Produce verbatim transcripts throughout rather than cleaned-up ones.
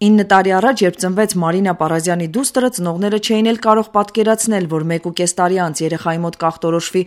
ինը տարի առաջ, երբ ծնվեց Մարինա Պարազյանի դուստրը, ծնողները չէին էլ կարող պատկերացնել, որ մեկ ու կես տարի անց երեխայի մոտ կախտորոշվի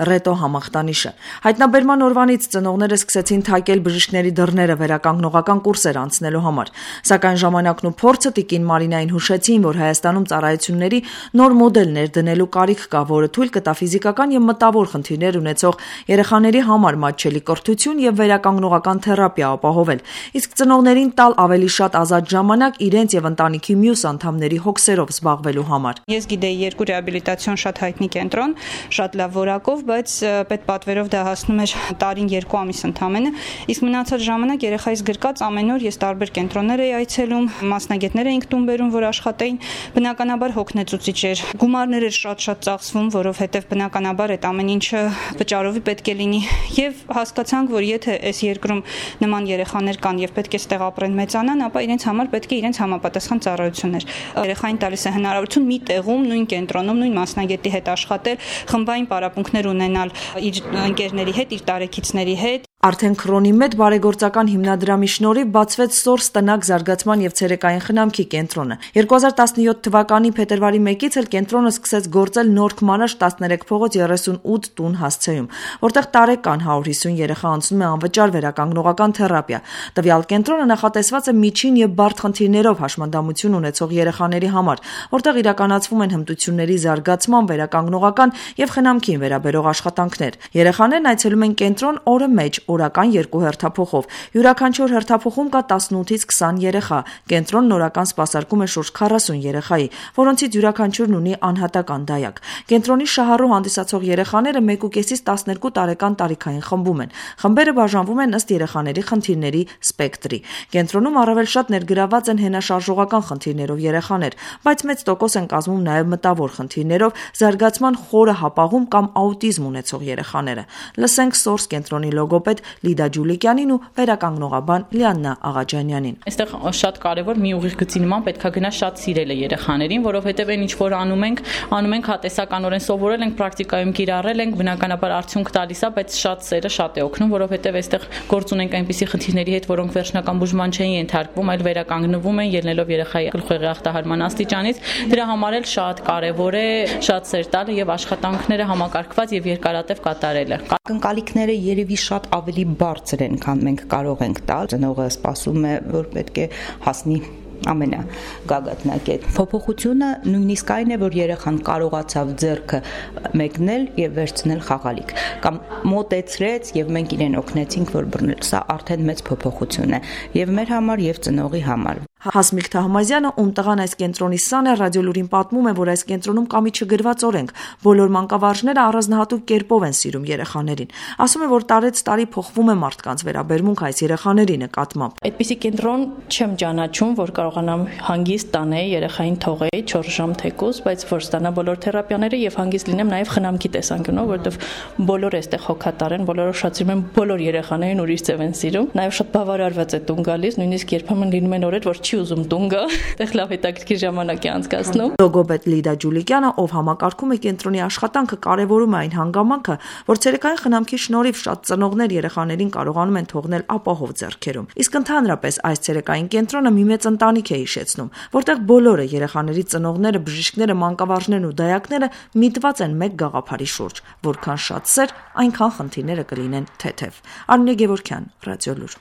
ռետո համախտանիշը։ Հայտնաբերման օրվանից ծնողները սկսեցին թակել բժիշկների դռները վերականգնողական կուրսեր անցնելու համար։ Սակայն ժամանակն ու փորձը տիկին Մարինային հուշեցին, որ Հայաստանում ծառայությունների նոր մոդել ներդնելու կարիք կա, որը թույլ կտա ֆիզիկական եւ մտավոր խնդիրներ ունեցող երեխաների համար մատչելի կրթություն եւ վերականգնողական թերապիա ապահովել, իսկ ծնողներին տալ ավելի շատ ազատ ժամանակ իրենց եւ ընտանիքի մյուս անդամների հոգսերով զբաղվելու համար։ Ես գիտեի երկու ռեաբիլիտացիոն շատ հայտնի կենտրոն, շատ լավ որակով, բայց պետպատվերով դա հասնում էր տարին երկու ամիս ընդամենը, իսկ մնացած ժամանակ երեխայիս գրկած ամեն օր ես տարբեր կենտրոններ էի այցելում, մասնագետներ էինք տուն բերում, որ աշխատեին, բնականաբար հոգնեցուցիչ էր։ Գումարներ էր շատ-շատ ծախսվում, որովհետեւ բնականաբար այդ ամեն ինչը վճարովի պետք է լինի, եւ հասկացանք, որ եթե այս երկրում նման երեխաներ կան եւ պետք է ստեղ ապրեն, մեծանան, ապա իրենց համար պետք է իրենց համապատասխան ծառայություններ։ Երեխային տալիս է հնարավորություն մի տեղում, նույն կենտրոնում, նույն մասնագետի հետ աշխատել, խմբային պարապմունքներ ունենալ իր ընկերների հետ, իր տարեկիցների հետ։ Արդեն Քրոնի մեծ բարեգործական հիմնադրամի շնորհիվ բացվեց Սորս տնակ զարգացման եւ ցերեկային խնամքի կենտրոնը։ երկու հազար տասնյոթ թվականի փետրվարի մեկից էլ կենտրոնը սկսեց գործել Նոր Քմարաշ տասներեք փողոց երեսունութ տուն հասցեում, որտեղ տարեկան հարյուր հիսուն երեխա անցնում է անվճար վերականգնողական թերապիա։ Տվյալ կենտրոնը նախատեսված է միջին եւ բարդ խնդիրներով հաշմանդամություն ունեցող երեխաների համար, որտեղ իրականացվում են հմտությունների զարգացման, վերականգնողական եւ խնամքին վերաբերող աշխատանքներ։ Երեխաներն այցելում են կենտրոն օրը մեջ, օրական երկու հերթափոխով։ Յուրաքանչյուր հերթափոխում կա տասնութից քսան երեխա։ Կենտրոնն օրական սպասարկում է շուրջ քառասուն երեխայի, որոնցից յուրաքանչյուրն ունի անհատական դայակ։ Կենտրոնի շահառու հանդիսացող երեխաները մեկուկեսից տասներկու տարեկան տարիքային խմբում են։ Խմբերը բաժանվում են ըստ երեխաների խնդիրների սպեկտրի։ Կենտրոնում առավել շատ ներգրաված են հենաշարժողական խնդիրներով երեխաներ, բայց մեծ տոկոս են կազմում նաև մտավոր խնդիրներով, զարգացման խորը հապաղում կամ աուտիզմ ունեցող երեխաները։ Լսենք Սորս կենտրոնի լոգոպեդ Լիդա Ջուլիկյանին ու վերականգնողաբան Լիաննա Աղաջանյանին։ Այստեղ շատ կարևոր մի ուղիղ գծի նման պետք է գնա շատ սիրելը երեխաներին, որովհետև այն ինչ որ անում ենք, անում ենք հատեսականորեն սովորել ենք, պրակտիկայում կիրառել ենք, բնականաբար արդյունք տալիս է, բայց շատ սերը շատ է օգնում, որովհետև այստեղ գործ ունենք այնպիսի խնդիրների հետ, որոնք վերջնական բուժման չէին ենթարկվում, այլ վերականգնվում են ելնելով երեխայի գլխուղեղի ախտահարման աստիճանից։ Դրա համար էլ շատ կարևոր է շատ սեր տալը եւ աշխատանքները համակարգված եւ երկարատև կատարելը։ Ակնկալիքները երևի շատ ավելի բարձր են, քան մենք կարող ենք տալ։ Ծնողը սպասում է, որ պետք է հասնի ամենագագաթնակետ։ Փոփոխությունը նույնիսկ այն է, որ երեխան կարողացավ ձեռքը մեկնել եւ վերցնել խաղալիք, կամ մոտեցրեց եւ մենք իրեն օգնեցինք, որ բռնել։ Սա արդեն մեծ փոփոխություն է եւ մեր համար եւ ծնողի համար։ Հասմիկ Թահմազյանը, ում տղան այս կենտրոնի սան է, ռադիոլուրին պատմում է, որ այս կենտրոնում կա մի չգրված օրենք։ Բոլոր մանկավարժները առանձնահատուկ կերպով են սիրում երեխաներին։ Ասում է, որ տարեց տարի փոխվում է մարդկանց վերաբերմունք այս երեխաների նկատմամբ։ Այդպիսի կենտրոն չեմ ճանաչում, որ կարողանամ հանգիստ տանել երեխային թողեի չորս ժամ թեկուզ, բայց որ ստանա բոլոր թերապիաները եւ հանգիստ լինեմ նաեւ խնամքի տեսանկյունով, որովհետեւ բոլորը այստեղ հոգատար են, բոլորը շատ սիրում են, բոլոր երեխաներին ուրիշ ձև են սիրում։ Նաեւ շատ բավարարված է տուն գալիս, նույնիսկ երբեմն լինում են օրեր, որ չի ուզում տուն գա, այդտեղ լավ հետաքրքիր ժամանակ է անցկացնում։ Լոգոպեդ Լիդա Ջուլիկյանը, ով համակարգում է կենտրոնի աշխատանքը, կարևորում է այն հանգամանքը, որ ցերեկային խնամքի շնորհիվ շատ ծնողներ երեխաներին կարողանում են թողնել ապահով ձեռքերում։ Իսկ ընդհանրապես այս ցերեկային կենտրոնը մի մեծ ընտանիք է հիշեցնում, որտեղ բոլորը երեխաների ծնողները, բժիշկները, մանկավարժներն ու դայակները միտված են մեկ գաղափարի շուրջ, որքան շատ սեր, այնքան խնդիրները կլինեն թեթև։ Արմինե Գևորգյան, Ռադիոլուր։